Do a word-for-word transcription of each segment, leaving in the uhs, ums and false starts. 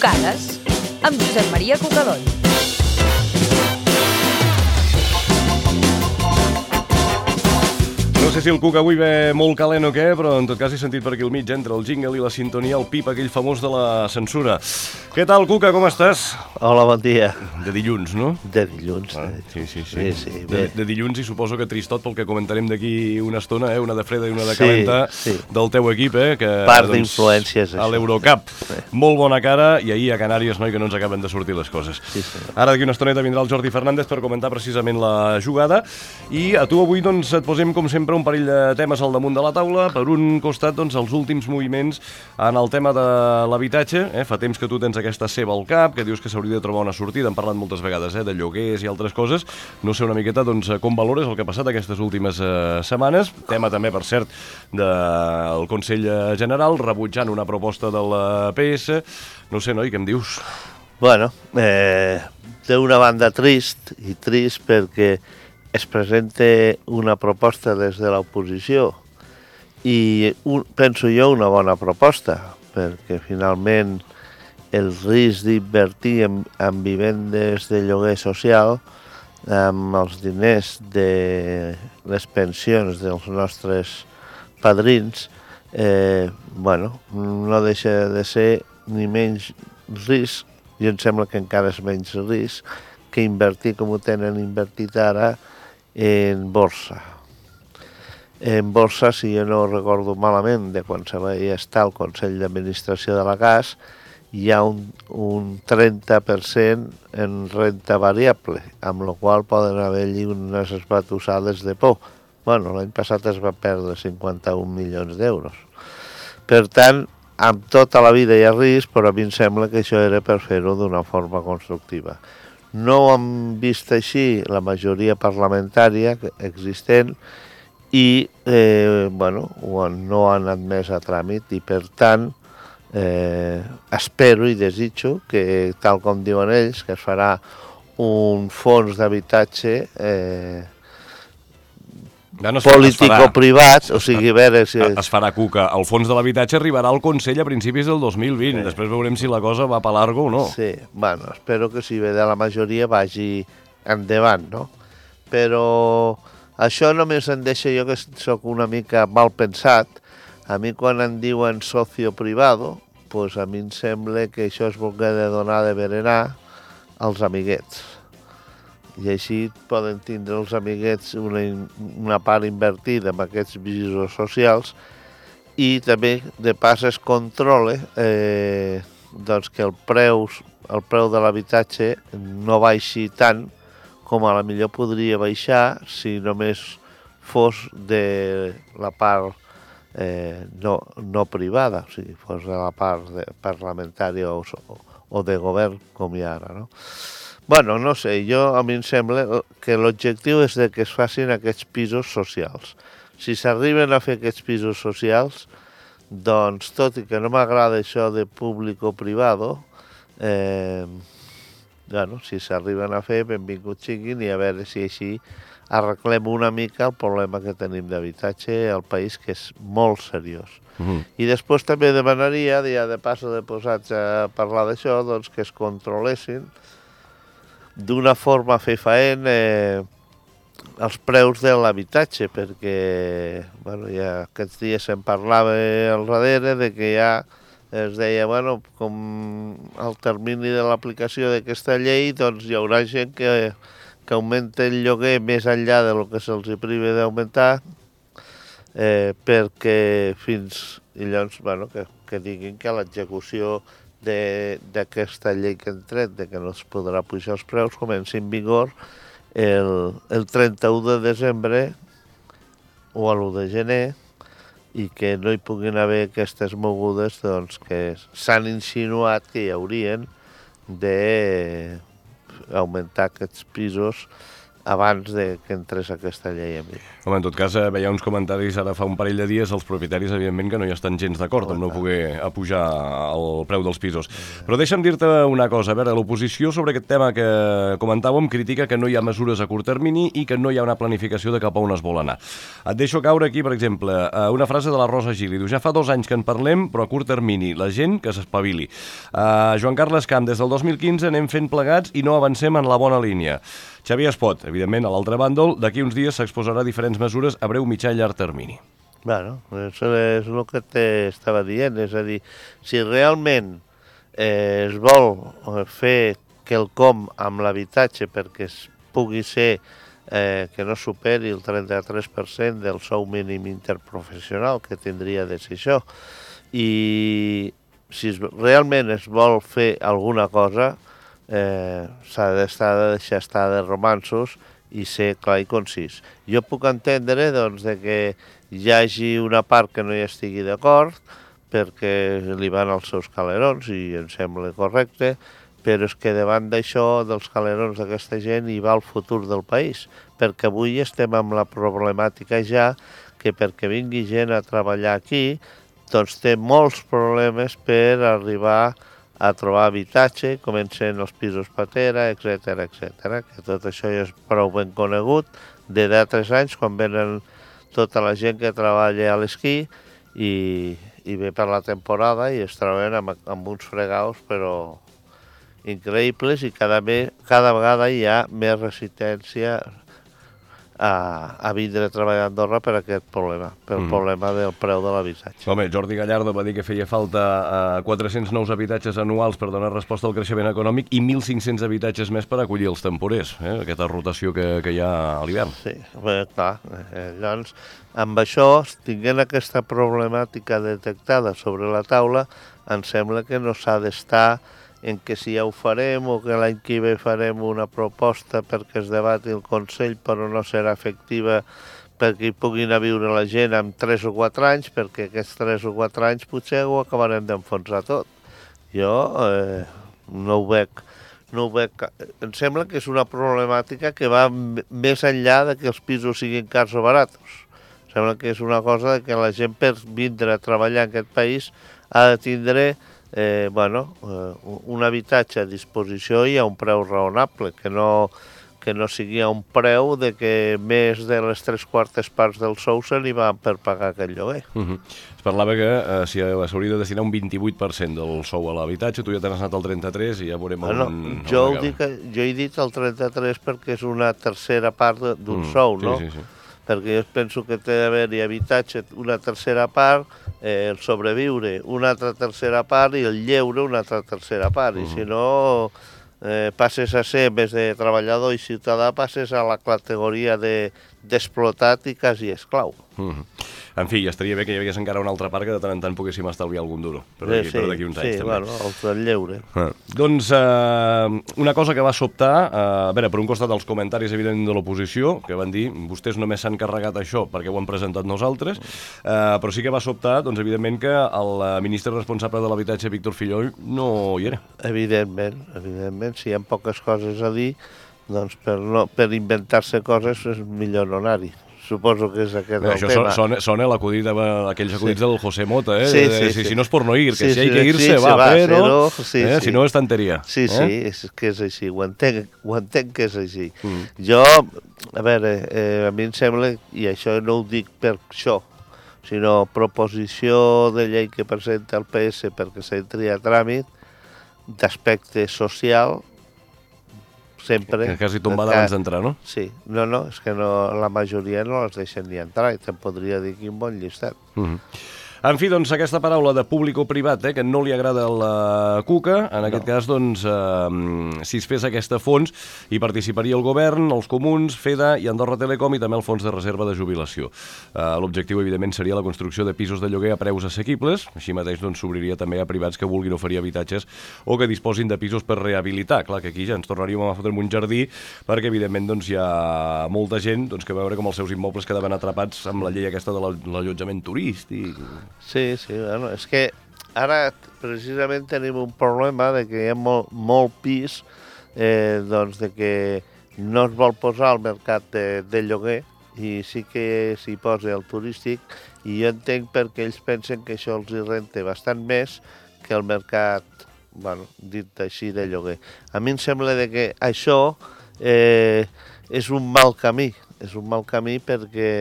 Trucades amb Josep Maria Cucadony. No sé si el Cuc avui ve molt calent o què, però en tot cas he sentit per aquí al mig, entre el jingle i la sintonia, el pip aquell famós de la censura. Què tal, Cuca, com estàs? Hola, bon dia. De dilluns, no? De dilluns. Ah, de... sí, sí, sí. sí, sí de, de dilluns i suposo que tristot pel que comentarem d'aquí una estona, eh? Una de freda i una de calenta sí, sí. del teu equip, eh? Que, part doncs, d'influències, a l'Eurocup. Sí. Molt bona cara, i ahir a Canàries, noi, que no ens acaben de sortir les coses. Sí, sí. Ara d'aquí una estoneta vindrà el Jordi Fernández per comentar precisament la jugada, i a tu avui doncs et posem com sempre un parell de temes al damunt de la taula. Per un costat, doncs, els últims moviments en el tema de l'habitatge. Eh? Fa temps que tu tens aquesta ceba al cap, que dius que s'hauria de trobar una sortida. Hem parlat moltes vegades eh? de lloguers i altres coses. No sé una miqueta doncs, com valores el que ha passat aquestes últimes eh, setmanes. Tema també, per cert, del Consell General, rebutjant una proposta del P S. No sé, noi, què em dius? Bueno, eh, d'una banda trist, i trist perquè es presenta una proposta des de l'oposició i un, penso jo una bona proposta, perquè finalment el risc d'invertir en, en vivendes de lloguer social amb els diners de les pensions dels nostres padrins, eh, bueno, no deixa de ser ni menys risc, i em sembla que encara és menys risc, que invertir com ho tenen invertit ara en borsa. En borsa, si jo no recordo malament, de quan se va estar al Consell d'Administració de la Gas, hi ha un, un trenta per cent en renta variable, amb la qual poden haver-hi unes esbatussades de por. Bueno, l'any passat es va perdre cinquanta-un milions d'euros. Per tant, amb tota la vida hi ha risc, però a mi em sembla que això era per fer-ho d'una forma constructiva. No ho hem vist així la majoria parlamentària existent i eh, bueno, no han admès a tràmit i per tant eh, espero i desitjo que, tal com diuen ells, que es farà un fons d'habitatge eh, no, político-privat, o sigui, a veure si... Es farà, Cuca. El fons de l'habitatge arribarà al Consell a principis del dos mil vint. Sí. Després veurem si la cosa va per largo o no. Sí, bueno, espero que si ve de la majoria vagi endavant, no? Però això només em deixa jo que sóc una mica mal pensat. A mi quan em diuen socio privado, pues a mi em sembla que això es volgué de donar de berenar als amiguets. I així poden tindre els amiguets una, una part invertida en aquests pisos socials i també de pas es controla eh, doncs que el preu, el preu de l'habitatge no baixi tant com a la millor podria baixar si només fos de la part eh, no, no privada, o sigui, fos de la part de, parlamentària o, o de govern com hi ha ara, no? Bueno, no sé, jo a mi em sembla que l'objectiu és de que es facin aquests pisos socials. Si s'arriben a fer aquests pisos socials, doncs, tot i que no m'agrada això de públic o privado, eh, bueno, si s'arriben a fer, benvinguts siguin i a veure si així arreglem una mica el problema que tenim d'habitatge al país, que és molt seriós. Uh-huh. I després també demanaria, ja de passo de posats a parlar d'això, doncs que es controlessin d'una forma fefaent eh, els preus de l'habitatge, perquè bueno, ja aquests dies se'n parlava al darrere de que ja es deia, bueno, com al termini de l'aplicació d'aquesta llei, doncs hi haurà gent que, que augmenta el lloguer més enllà del que se'ls priva d'augmentar, eh, perquè fins, i llavors, bueno, que, que diguin que l'execució d'aquesta llei que han tret, de que no es podrà pujar els preus, comença en vigor el, el trenta-u de desembre o l'u de gener, i que no hi puguin haver aquestes mogudes doncs, que s'han insinuat que hi haurien d'augmentar aquests pisos abans de que entrés aquesta llei en vigor. Home, en tot cas, eh, veia uns comentaris ara fa un parell de dies, els propietaris, evidentment, que no hi estan gens d'acord amb no poder apujar el preu dels pisos. Però deixa'm dir-te una cosa, a veure, l'oposició sobre aquest tema que comentàvem critica que no hi ha mesures a curt termini i que no hi ha una planificació de cap a on es vol anar. Et deixo caure aquí, per exemple, una frase de la Rosa Gili. Diu, ja fa dos anys que en parlem, però a curt termini, la gent que s'espavili. Uh, Joan Carles Camp, des del dos mil quinze anem fent plegats i no avancem en la bona línia. Xavier Espot, evidentment, a l'altre bàndol, d'aquí uns dies s'exposarà diferents mesures a breu, mitjà i llarg termini. Bueno, això és el que t'estava dient, és a dir, si realment eh, es vol fer quelcom amb l'habitatge perquè es pugui ser eh, que no superi el trenta-tres per cent del sou mínim interprofessional, que tindria de ser això, i si es, realment es vol fer alguna cosa, Eh, s'ha d'estar de deixar estar de romanços i ser clar i concís. Jo puc entendre doncs, de que hi hagi una part que no hi estigui d'acord perquè li van als seus calerons i em sembla correcte, però és que davant d'això, dels calerons d'aquesta gent, hi va el futur del país, perquè avui estem amb la problemàtica ja que perquè vingui gent a treballar aquí, doncs té molts problemes per arribar a trobar habitatge, comencen els pisos patera, etcètera, etcètera, que tot això ja és prou ben conegut, de d'altres anys, quan venen tota la gent que treballa a l'esquí i, i ve per la temporada i es troben amb, amb uns fregaus, però increïbles, i cada, me, cada vegada hi ha més resistència a, a vindre a treballar a Andorra per aquest problema, pel mm. problema del preu de l'habitatge. Home, Jordi Gallardo va dir que feia falta uh, quatre-cents nous habitatges anuals per donar resposta al creixement econòmic i mil cinc-cents habitatges més per acollir els temporers, eh? Aquesta rotació que, que hi ha a l'hivern. Sí, bé, clar. Eh, llavors, amb això, tinguent aquesta problemàtica detectada sobre la taula, em sembla que no s'ha d'estar en que si ja ho farem o que l'any que ve farem una proposta perquè es debati el Consell però no serà efectiva perquè hi puguin a viure la gent en tres o quatre anys, perquè aquests tres o quatre anys potser ho acabarem d'enfonsar tot. Jo eh, no ho veig, no ho veig. Em sembla que és una problemàtica que va més enllà de que els pisos siguin cars o baratos. Em sembla que és una cosa que la gent per vindre a treballar en aquest país ha de tindre Eh, bueno, eh, un habitatge a disposició i a un preu raonable, que no, que no sigui a un preu de que més de les tres quartes parts del sou se n'hi van per pagar aquest lloguer. Uh -huh. Es parlava que eh, si s'hauria de destinar un vint-i-vuit per cent del sou a l'habitatge, tu ja t'has anat al trenta-tres per cent i ja veurem bueno, on... Jo, on dic, jo he dit el trenta-tres per cent perquè és una tercera part d'un mm, sou, no? Sí, sí, sí. Perquè jo penso que té d'haver-hi habitatge una tercera part, eh, el sobreviure una altra tercera part i el lleure una altra tercera part. Mm. I si no, eh, passes a ser, en vez de treballador i ciutadà, passes a la categoria de d'explotat i quasi esclau. Mm. En fi, estaria bé que hi hagués encara una altra part que de tant en tant poguéssim estalviar algun duro, per d'aquí sí, sí, uns anys sí, també. Sí, bueno, el del lleure. Ah. Doncs eh, una cosa que va sobtar, eh, a veure, per un costat els comentaris evidentment de l'oposició, que van dir, vostès només s'han carregat això perquè ho han presentat nosaltres, eh, però sí que va sobtar, doncs evidentment que el ministre responsable de l'habitatge, Víctor Fillol, no hi era. Evidentment, evidentment, si hi ha poques coses a dir, doncs per, no, per inventar-se coses és millor no anar-hi. Suposo que és aquest no, el això tema. Això sona, sona l'acudit, aquells acudits sí. del José Mota, eh? Sí, sí, de, sí. Si, si no és por no ir, que sí, si hay que irse, sí, va, va, però sí, sí, eh? sí. si no és tanteria. Sí, eh? sí, és que és així, ho entenc, ho entenc que és així. Mm. Jo, a veure, eh, a mi em sembla, i això no ho dic per això, sinó proposició de llei que presenta el P S perquè s'entri a tràmit d'aspecte social, sempre... Que quasi tombada abans d'entrar, no? Sí, no, no, és que no, la majoria no les deixen ni entrar, i te'n podria dir quin bon llistat. Mm-hmm. En fi, doncs, aquesta paraula de públic o privat, eh, que no li agrada a la Cuca, en aquest no. cas, doncs, eh, si es fes aquesta fons, hi participaria el govern, els comuns, FEDA i Andorra Telecom i també el fons de reserva de jubilació. Eh, L'objectiu, evidentment, seria la construcció de pisos de lloguer a preus assequibles, així mateix doncs, s'obriria també a privats que vulguin oferir habitatges o que disposin de pisos per rehabilitar. Clar que aquí ja ens tornaríem a fotre un jardí, perquè, evidentment, doncs, hi ha molta gent doncs, que veure com els seus immobles quedaven atrapats amb la llei aquesta de l'allotjament turístic. Sí, sí, bueno, és que ara precisament tenim un problema de que hi ha molt, molt pis, eh, doncs de que no es vol posar al mercat de, de lloguer i sí que s'hi posa el turístic, i jo entenc perquè ells pensen que això els hi renta bastant més que el mercat, bueno, dit així, de lloguer. A mi em sembla de que això eh, és un mal camí, és un mal camí perquè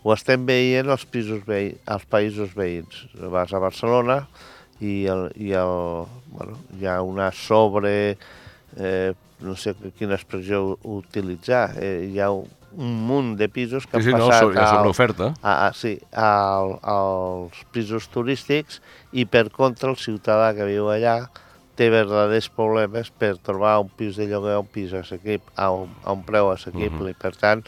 ho estem veient als, pisos veï als països veïns. Vas a Barcelona i, el, i el, bueno, hi ha una sobre... Eh, no sé quina expressió utilitzar, eh, hi ha un, un munt de pisos que sí, han sí, passat no, hi ha sobreoferta. A, a, sí, al, als pisos turístics, i per contra el ciutadà que viu allà té verdaders problemes per trobar un pis de lloguer a un pis assequible, a un, a un preu assequible. Uh-huh. I per tant,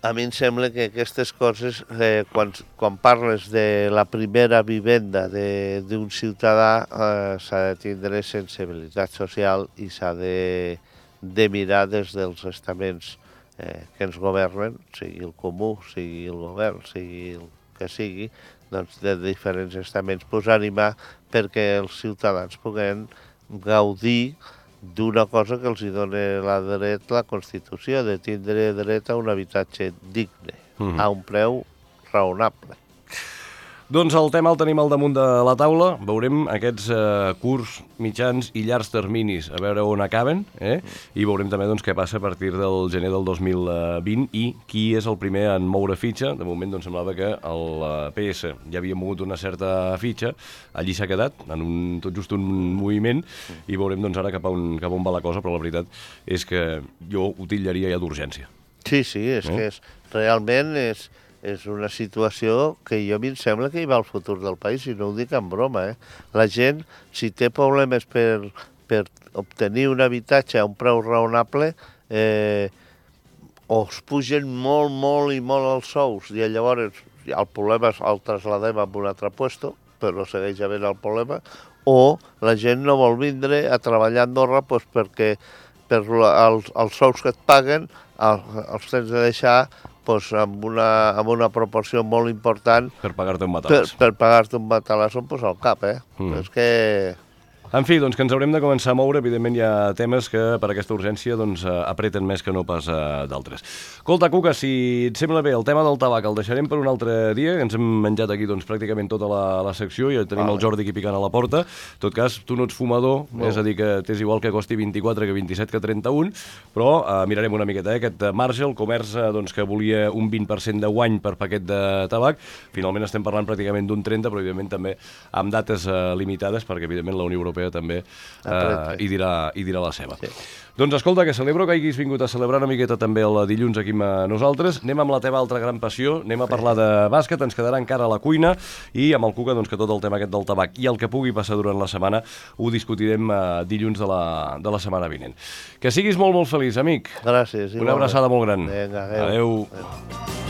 a mi em sembla que aquestes coses, eh, quan, quan parles de la primera vivenda d'un ciutadà, eh, s'ha de tindre sensibilitat social i s'ha de, de mirar des dels estaments eh, que ens governen, sigui el comú, sigui el govern, sigui el que sigui, doncs de diferents estaments, posar-hi mà perquè els ciutadans puguen gaudir d'una cosa que els hi dona la dret la Constitució, de tindre dret a un habitatge digne, mm-hmm. a un preu raonable. Doncs el tema el tenim al damunt de la taula. Veurem aquests eh, curts, mitjans i llargs terminis, a veure on acaben, eh? I veurem també doncs, què passa a partir del gener del dos mil vint i qui és el primer en moure fitxa. De moment doncs, semblava que el P S ja havia mogut una certa fitxa, allí s'ha quedat, en un, tot just un moviment, i veurem doncs, ara cap a, on, cap a on va la cosa, però la veritat és que jo ho titllaria ja d'urgència. Sí, sí, és eh? que és, realment és... és una situació que jo a mi em sembla que hi va el futur del país, i no ho dic en broma. Eh? La gent, si té problemes per, per obtenir un habitatge a un preu raonable, eh, o es pugen molt, molt i molt els sous, i llavors el problema el trasladem a un altre puesto, però segueix havent el problema, o la gent no vol vindre a treballar a Andorra doncs, perquè per els, els sous que et paguen els, els tens de deixar doncs, amb, una, amb una proporció molt important per pagar-te un matalàs. Per, per pagar-te un matalàs doncs, al cap, eh? Mm. És que... En fi, doncs que ens haurem de començar a moure. Evidentment hi ha temes que per aquesta urgència doncs, apreten més que no pas uh, d'altres. Escolta, Cuca, si et sembla bé, el tema del tabac el deixarem per un altre dia, que ens hem menjat aquí doncs, pràcticament tota la, la secció, i tenim vale. El Jordi aquí picant a la porta. En tot cas, tu no ets fumador, no. És a dir, que t'és igual que costi vint-i-quatre que vint-i-set que trenta-un, però uh, mirarem una miqueta, eh? Aquest marge, el comerç uh, doncs, que volia un vint per cent de guany per paquet de tabac, finalment estem parlant pràcticament d'un trenta, però evidentment també amb dates uh, limitades, perquè evidentment la Unió Europea també eh, hi, dirà, hi dirà la seva. Sí. Doncs escolta, que celebro que hagis vingut a celebrar una miqueta també el dilluns aquí amb nosaltres. Anem amb la teva altra gran passió, anem a parlar de bàsquet, ens quedarà encara a la cuina, i amb el Cuca doncs, que tot el tema aquest del tabac i el que pugui passar durant la setmana ho discutirem eh, dilluns de la, de la setmana vinent. Que siguis molt, molt feliç, amic. Gràcies. Una abraçada molt gran. Vinga, adeu. Adeu. Adeu.